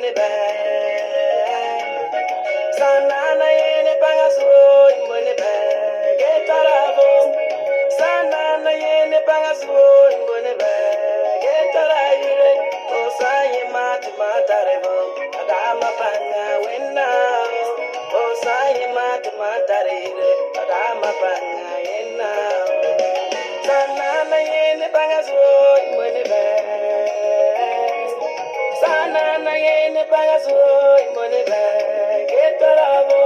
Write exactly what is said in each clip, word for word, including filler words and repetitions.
imbone ba. Sanana yene bangaso imbone ba. Getarabo. Sanana yene bangaso imbone ba. Getaraire. Osaye mati matarebo. Adama panga wenna. Osaye mati matarire. Adama panga yenna. Sanana yene bangaso imbone ba. Sanana yene bangaso imbone ba. Getarabo.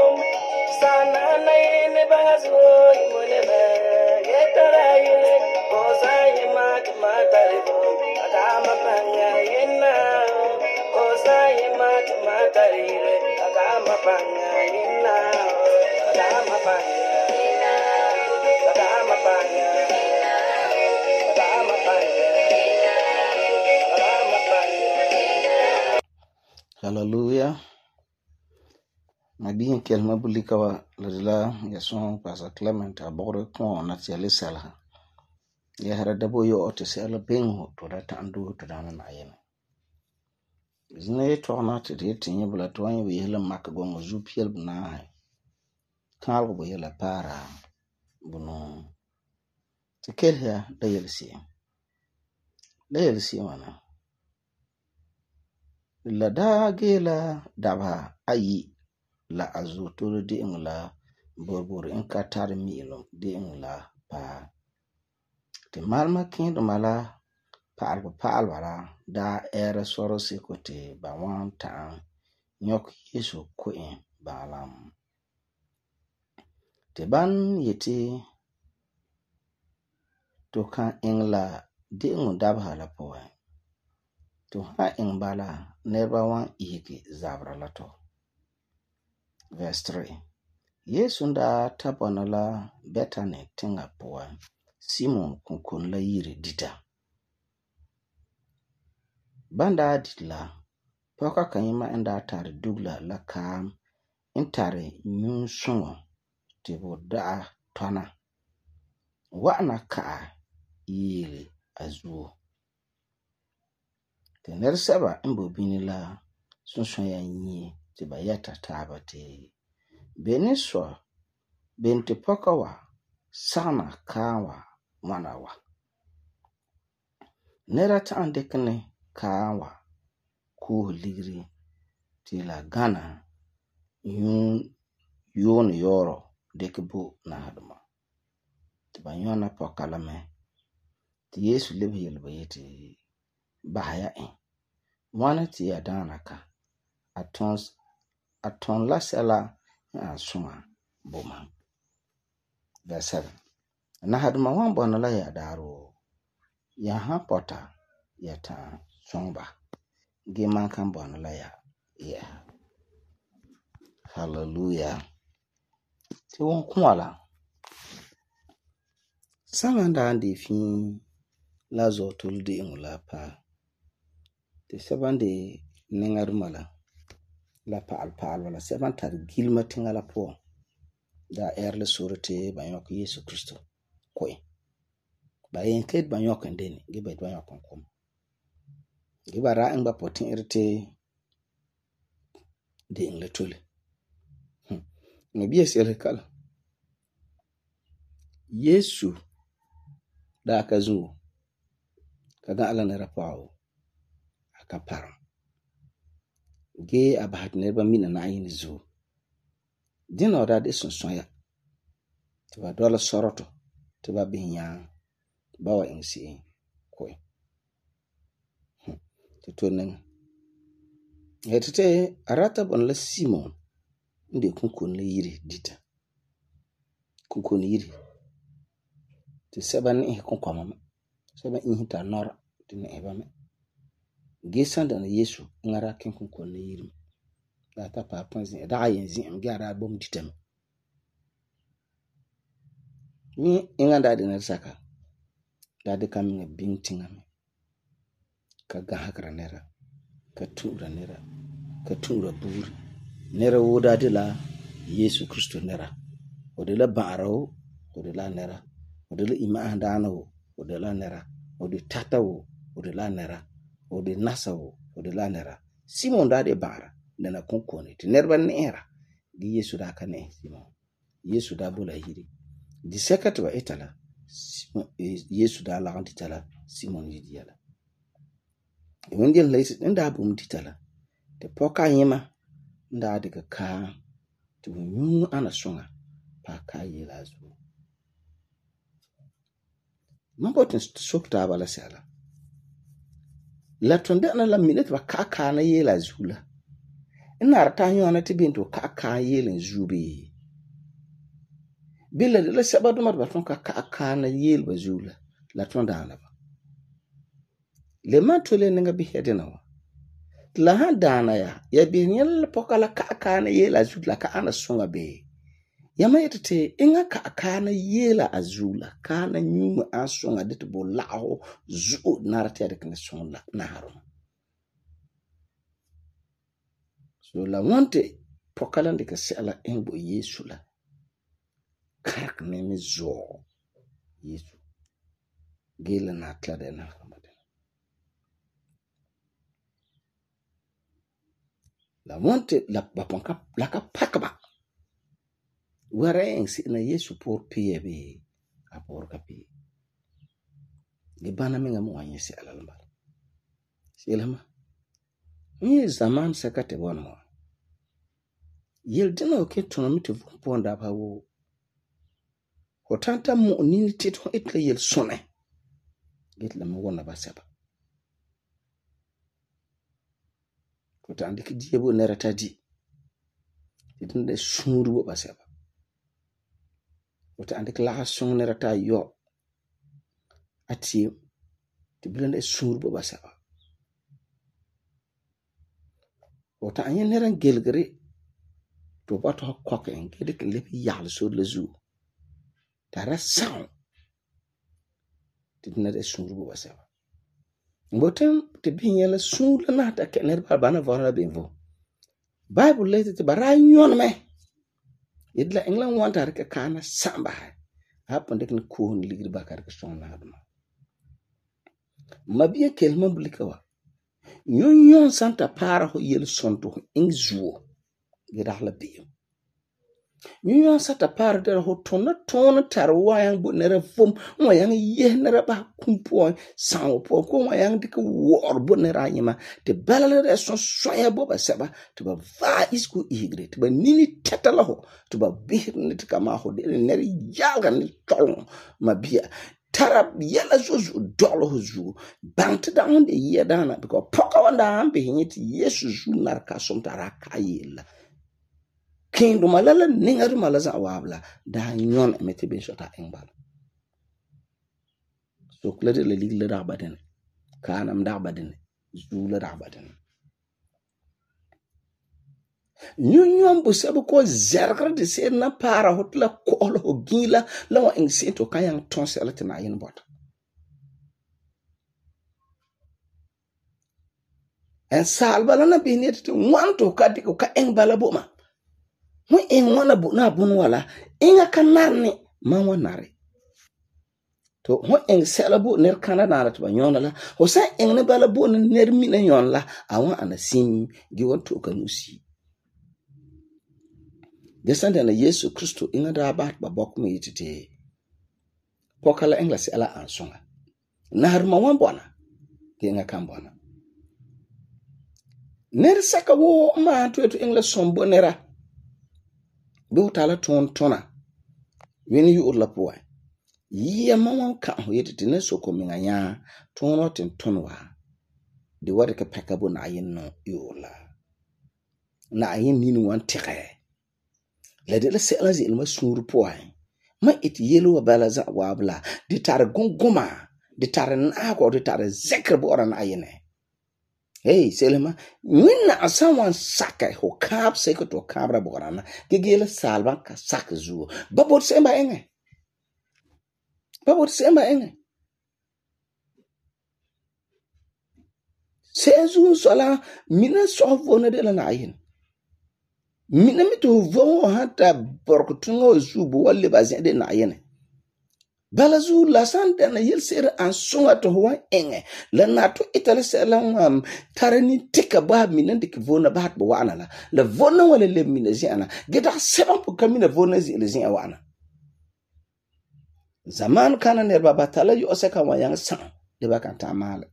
Sanana yene bangaso imbone ba. Getaraire. Osaye mati matarebo. Adama panga yenna. Osaye mati matarire. Adama panga yenna. Adama panga. Adama panga. Adama panga. Adama panga. Hallelujah. Nabiyin kelma bulika wa ladila ya son Pastor Clement abogre kon na tiale salha. Ya hara dabo yo ote se ala bengo to da tandu to da na ayene. Zine to na te de tinye bula to anye we yela mak gongo zu piel buna hai. Kal bo yela para bunu. Te kel ya da yel si. Da yel si wana. La da gela daba ayi la azu turu di ingla borbor in ka tar miilo di ingla pa. Te malma kindo mala pa'alba pa'alba la da era soro siko te ba wan ta'an nyok Yesu ko'en balam. Te ban yeti to kan ingla di ingu dabha la poe. To ha ing bala nerba wan ihiki zabra la to. Verse three. Yesu nda tabana la Bethany tinga poe. Simon kunkun la yiri dita. Banda ditla poka kanyima enda tari dugla la kam intari nyun sungo tibo da'a tona. Wa'ana ka'a yiri azuo. Te nerseba imbo bini la sunsun ya nyi tiba yata taba te. Beni so benti poka wa sana kawa wana wa. Nera ta'an dekene kawa kuh ligri tila gana yun yun yoro dekibu na haduma. Tiba yona poka la me. Ti Yesu lebi yelba yeti bahaya en. Mwana ti ya dana ka. Aton aton la sela ya sunga boma. Verse seven. Na haduma wan bona la ya daro. Ya ha pota ya ta songba. Ge man kan bona la ya. Yeah. Hallelujah. Ti won kwala. Samanda andi fin la zo tuldi ingula pa. Te sebande nengarumala la pa'al pa'al wala seban tar gilma tingala po da erle surete banyok Yesu Kristo koy ba yen ket banyok ndeni ge ba banyok kom ge ba ra en ba potin irte de ingle tole no biye sele kala Yesu da ka zu kaga ala ne rapao aka param ge abahat ne ba mina na ayin zu din oda de sonson ya tiba dola soroto tiba binya bawa insi koy ti tonen hetete arata bon la Simon inde kunkun le yiri dita kunkun yiri ti seban eh kunkoma seban eh ta nora tin eba me gesan da Yesu ngara kin kunkun le yiri da ta pa panzi da ayenzi am gara bom ditem ni inganda de na saka da de kam ne bintinga me ka ga hakra nera ka tura nera ka tura buri nera woda de la Yesu Kristo nera o de la baro o de la nera o de la ima andana o de la nera o de tata o de la nera o de nasa o de la nera Simon da de baara dana konkone te nerba ne'era ge Yesu da ka ne Simon. Yesu da bola hiri. Di seka te ba etala Yesu da lagam ditala Simon yidia la. Wende la nda bum ditala te poka yema nda de ka te nyu ana songa pa ka yela zu. Mambotin sokta bala sala. La tonda na la minute ba ka ka na yela zula. Ina rata nyona te binto ka ka yelen zubi. Bila la sabado mat ba ton ka ka ka na yel ba zula la tonda na ba. Le matole ninga bi hedena wa. La han dana ya ya bi nyel poka la ka ka na yela zula ka ana songa be. Yama yetete inga ka ka na yela azula ka na nyuma asonga dit bo lao zu narate de kne songa na harum. So la wante pokala ndika sela engbo Yesu la. Karak neme zo Yesu. Gela na klade na hamade. La wante la baponka laka pakaba. Wara ensi na Yesu por piye be apor kapi. Gibana minga mo anye si alalamba. Silama. Ni zaman sakate wana mo. Yel dina oke tonomite vumponda pa wo. Hotanta mo nini tito itle yel sone. Gitla mo wana basaba. Hotandi ki diebo nerata di. Itinde suru bo basaba. Wata ande kala song nerata yo ati ti blende surbo basaba. Wata anye neran gelgere to bato koke ngede ke lepi yal sur le zu. Tara sound ti nere surbo basaba. Ngotem te binye la sur la na ta ke nerba bana vona benvo. Bible lete te bara nyon me. Yedla England wanta rika kana samba hapo ndek ni kuhuni ligri bakar ka song na hadma mabiya kelma bulikawa nyon nyon santa para ho yel sonto ingzuo gedahla biyo nyon nyon santa para der ho tona tona tarwa yang bu nere fom mo yang ye nere ba kumpo sanwo po ko mo yang dik wor bu nere anyima te balale de son soya bo ba saba to ba va isku igre to ba nini tetala ho to ba bir nit kama ho de nere yaga ni tol mabia tarab yela zozu dolo zu bant down de ye dana because poka wanda ambe hinyiti Yesu zu narka som taraka yela Kendo malala ningaru malaza wabla da nyon emete ben shota engbal. So klade le lig le rabaden. Kanam dabaden. Zu le rabaden. Nyon nyon bu sabu ko zerkra de se na para hotla ko lo gila la wa engseto kayang tonsel tina yin bot. En salbala na binet to wanto kadiko ka engbala boma. Mo en wana bu na bunu wala inga kanarni man wanare to ho en selabu ner kanana to banyona la ho sa en ne bala bu ner mi na yon la awon anasim gi wonto kanusi desanda na Yesu Kristo inga da ba ba bok mi yitite pokala englas ala ansonga nar ma wan bona inga kan bona ner saka wo ma to to englas sombo nera do tala ton tona when you urla poa ye mawan ka ho yete ne soko minga nya tono tin tonwa de wade ka pekabo na yin no yola na yin ni wan tire le de la sela zi ilma suru poa ma it yelo bala za wabla de tar gongoma de tar na ko de tar zekr bo ran ayene. Hey, Selema, wina someone saka ho kap seko to kabra borana gegele salva ka sak zu babot semba enge babot semba enge sezu sola mina sofona de la nayin mina mitu vo hata borkutungo zu bo walle bazen de nayin Bala zu la san dana yelse'ere an songa to ho wan enge la na to itale sela ngam tarani tika ba mina dik vona ba bo wana la la vona wala le mina ziana geda seven po kamina vona zi le zin wana zaman kana nerba batala yo seka wa yang sang de ba kan ta mala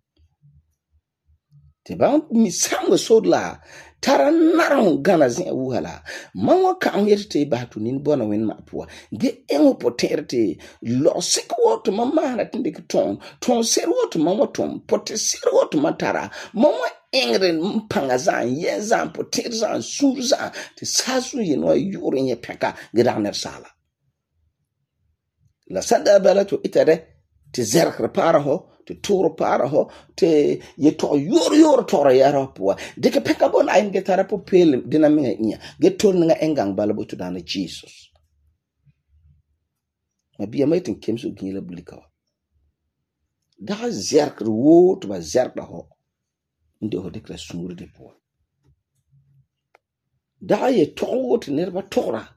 te ba mi sang so la tara naron gana zin wuhala man wa kan yete ba to nin bona wen ma puwa ge engo poterte lo sek woto mama na tinde ki ton ton ser woto mama ton pote ser woto matara mama engre mpanga zan ye zan poter zan sur zan te sasu ye no yure nye peka ge daner sala la sanda bala to itare te zerkre para ho te toro para ho te ye to yor yor tora yara puwa de ke peka bon ayin ge tara po pel dina minga nya ge tol nga engang bala bo to dana Jesus ma biya mai tin kemso gila blika da zerkre wo to ba zerkda ho inde ho dekla sungure de puwa da ye to wo te nerba tora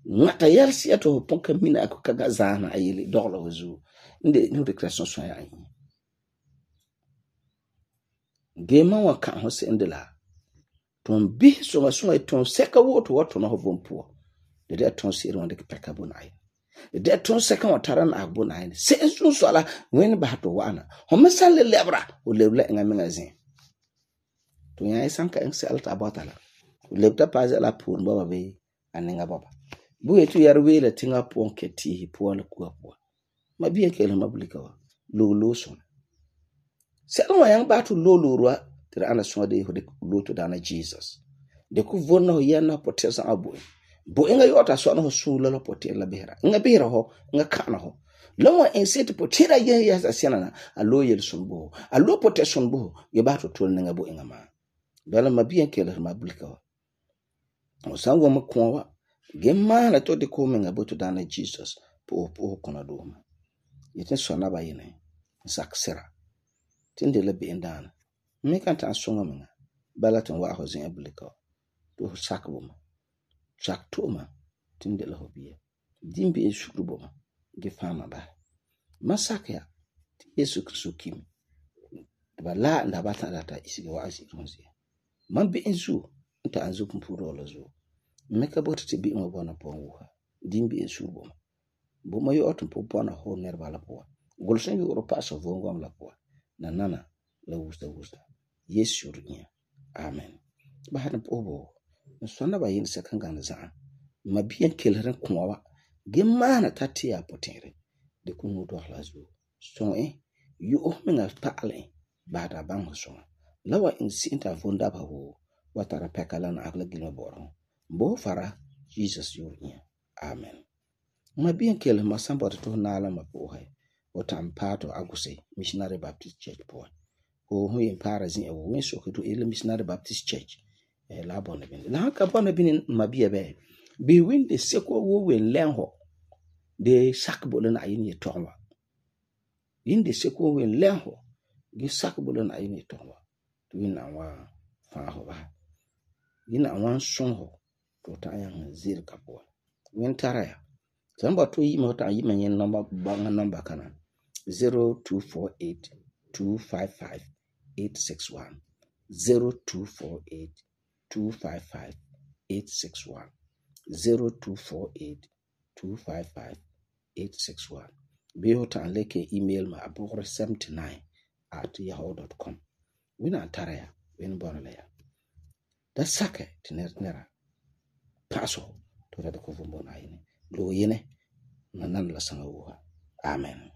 ngata yelsi ato ponka mina ako kaga zana ayili dogla wazu inde no declaration so ya yi gema wa kan ho se ndela ton bi so ma so ton seka woto woto no ho bompo de de ton se ron de peka bonai de ton seka wa taran agbonai se so so ala wen ba to wana ho mesal le lebra o lebla nga mengazin to ya isanka en se alta batala o lebta paze la pun baba be aninga baba bu etu yarwe la tinga pon keti po la ku po ma bien kele mablika wa lo lo son se no yang ba to lo lo rwa tira ana so de ho de lo to dana Jesus de ku vonna ho yana potesa abo bo inga yota so no su la potel la behra nga behra ho nga kana ho lawa en set potera ye ya asiana alo yel sonbo alo poteson bo ye ba to tol nga bo inga ma bala ma bien kele mablika wa o sango ma kwa gemma na to de ko menga bo to dana Jesus po po kona do ma yetin so na ba yene saksera tinde le be ndana me kan ta songa menga balaton wa ho zin ablika to sakbo ma sak to ma tinde le hobiye dimbe e shukrubo ma ge fama ba masaka ti Yesu Kristo kim ba la nda ba ta data isige wa asi ronzi man be enzu nta anzu kumpuro lo zo meka bota te bi mo bona po wuha dimbi e shubo bo ma yo otum po bona ho nerba la po golsen yo ro paso vongom la po na nana la wusta wusta yesu runya amen ba hada po bo sonna ba yin sakan ga na za ma biyan kelren kuwa ge mana tatia potere de kunu do hlazu so eh yo o menga paale ba da bang so lawa in sinta vonda ba ho watara pekala na agla gilma boro bo fara Jesus yurnya amen ma bien kele ma samba to na la ma po hai o tampato aguse missionary baptist church po o hu yin para zin e wo so ko to ele missionary baptist church e la bona bin la ka bona bin ma bia be be win de seko wo wen lenho de sakbo na yin ye tonwa yin de seko wen lenho gi sakbo na yin ye tonwa to win na wa fa ho ba yin na wan son ho to ta yan zir kapo wen taraya samba to yi mota yi menyen number banga number kana zero two four eight two five five eight six one zero two four eight two five five eight six one zero two four eight two five five eight six one be hota leke email ma abore seventy-nine at yahoo dot com wina taraya wen bonala ya da sake tinera paso to da ko vumbo na yini lo yene na nan la sanga wuha amen